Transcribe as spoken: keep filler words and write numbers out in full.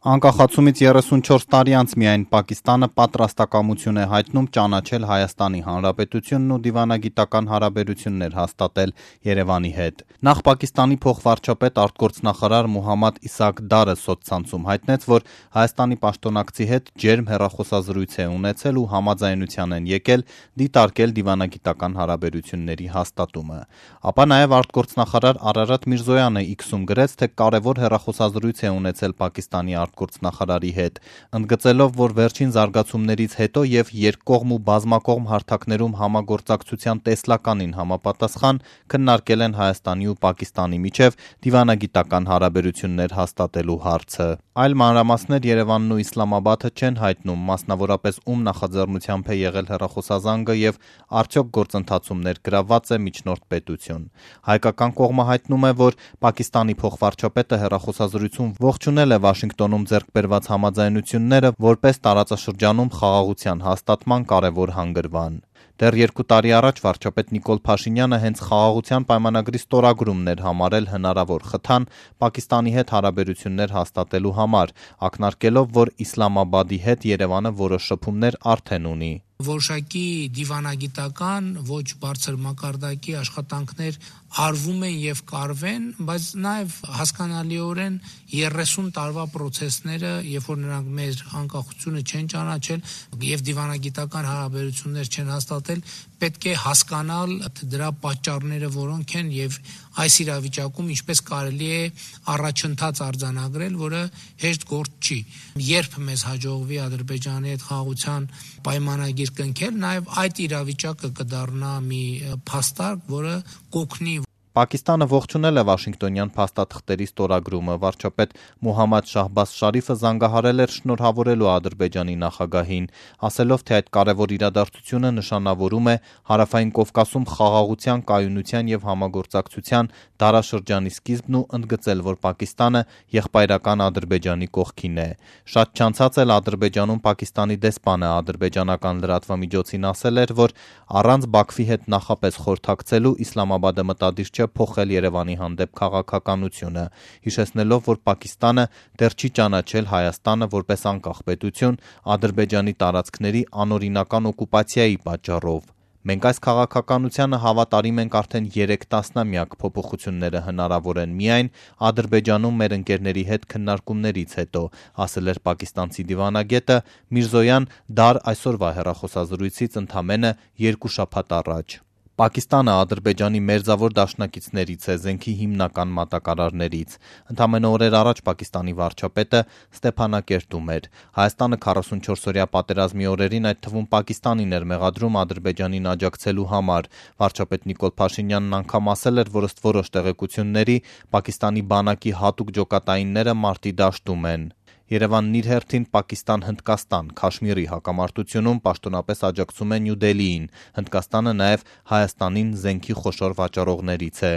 Անկախացումից երեսունչորս տարի անց միայն Պակիստանը պատրաստակամություն է հայտնում ճանաչել Հայաստանի Հանրապետությունն ու դիվանագիտական հարաբերություններ հաստատել Երևանի հետ։ Նախ Պակիստանի փոխվարչապետ արտգործնախարար Մոհամմադ Իսահակ Դարը սոցցանցում հայտնեց, որ Հայաստանի պաշտոնակցի հետ ջերմ հեռախոսազրույց է ունեցել ու համաձայնության են եկել դիտարկել դիվանագիտական հարաբերությունների հաստատումը։ Ապա նաև արտգործնախարար Արարատ Միրզոյանը X-ում գրեց, թե կարևոր հեռախոսազրույց է ունեցել Պակիստանի արտգործնախարարի հետ, ընդգծելով, որ վերջին զարգացումներից հետո եւ երկկողմ ու բազմակողմ հարթակներում համագործակցության տեսլականին համապատասխան քննարկել են Հայաստանի ու Պակիստանի միջև դիվանագիտական հարաբերություններ հաստատելու հարցը։ Այլ մանրամասներ Երևանն ու Իսլամաբադը չեն հայտնում, մասնավորապես ում նախաձեռնությամբ է եղել հեռախոսազանգը եւ արդյոք գործընթացում ներգրավված է միջնորդ պետություն։ Հայկական կողմը հայտնում է, որ Պակիստանի փոխվարչապետը հեռախոսազրույցում ողջունել է Վաշինգտոնում ձեռք բերված համաձայնությունները որպես տարածաշրջանում խաղաղության հաստատման կարևոր հանգրվան։ Դեռ երկու տարի առաջ վարչապետ Նիկոլ Փաշինյանը հենց խաղաղության պայմանագրի ստորագրումն էր համարել հնարավոր խթան Պակիստանի հետ հարաբերություններ հաստատելու համար, ակնարկելով, որ Իսլամաբադի հետ Երևանը որոշ շփումներ արդեն ունի։ Որոշակի դիվանագիտական ոչ բարձր մակարդակի աշխատանքներ արվում են եւ կարվեն, բայց նաեւ հասկանալիորեն երեսուն տարվա process-ները, երբ որ նրանք մեր անկախությունը չեն ճանաչել եւ դիվանագիտական հարաբերություններ չեն հաստատել, պետք է հասկանալ դրա պատճառները որոնք են եւ այս իրավիճակում ինչպես կարելի է առաջընթաց արձանագրել, որը հեշտ գործ չի։ Երբ մեզ հաջողվի Ադրբեջանի հետ խաղաղության պայմանագիր կնքել, նաև այդ իրավիճակը կդառնա մի փաստարկ, որը կօգնի։ Պակիստանը ողջունել է Վաշինգտոնյան փաստաթղթերի ստորագրումը, վարչապետ Մոհամմադ Շահբազ Շարիֆը զանգահարել էր շնորհավորելու Ադրբեջանի նախագահին, ասելով, թե այդ կարևոր իրադարձությունը նշանավորում է Հարավային Կովկասում խաղաղության, կայունության եւ համագործակցության դարաշրջանի սկիզբն ու ընդգծել, որ Պակիստանը եղբայրական Ադրբեջանի կողքին է։ Շատ չանցած էլ Ադրբեջանում Պակիստանի դեսպանը ադրբեջանական լրատվամիջոցին ասել էր, որ առանց Բաքվի հետ նախապես խորհրդակցելու Իսլամաբադը մտադիր չէ փոխել Երևանի հանդեպ քաղաքականությունը, հիշեցնելով, որ Պակիստանը դեռ չի ճանաչել Հայաստանը որպես անկախ պետություն Ադրբեջանի տարածքների անօրինական օկուպացիայի պատճառով։ Մենք այս քաղաքականությանը հավատարիմ ենք արդեն երեք տասնամյակ, փոփոխությունները հնարավոր են միայն Ադրբեջանում մեր ընկերների հետ քննարկումներից հետո, ասել էր պակիստանցի դիվանագետը Միրզոյան Դար այսօրվա հեռախոսազրույցից ընդամենը երկու շաբաթ առաջ։ Պակիստանը Ադրբեջանի մերձավոր դաշնակիցներից է, զենքի հիմնական մատակարարներից։ Ընդամենը օրեր առաջ Պակիստանի վարչապետը Ստեփանակերտում էր։ Հայաստանը քառասունչորսօրյա պատերազմի օրերին, այդ թվում Պակիստանին էր մեղադրում Ադրբեջանին աջակցելու համար։ Վարչապետ Նիկոլ Փաշինյանն անգամ ասել էր, որ ըստ որոշ տեղեկությունների Պակիստանի բանակի հատուկ ջոկատայինները մարտի դաշտում են։ Երևանն իր հերթին Պակիստան-Հնդկաստան Քաշմիրի հակամարտությունում պաշտոնապես աջակցում է Նյու Դելիին։ Հնդկաստանը նաև Հայաստանին զենքի խոշոր վաճառողներից է։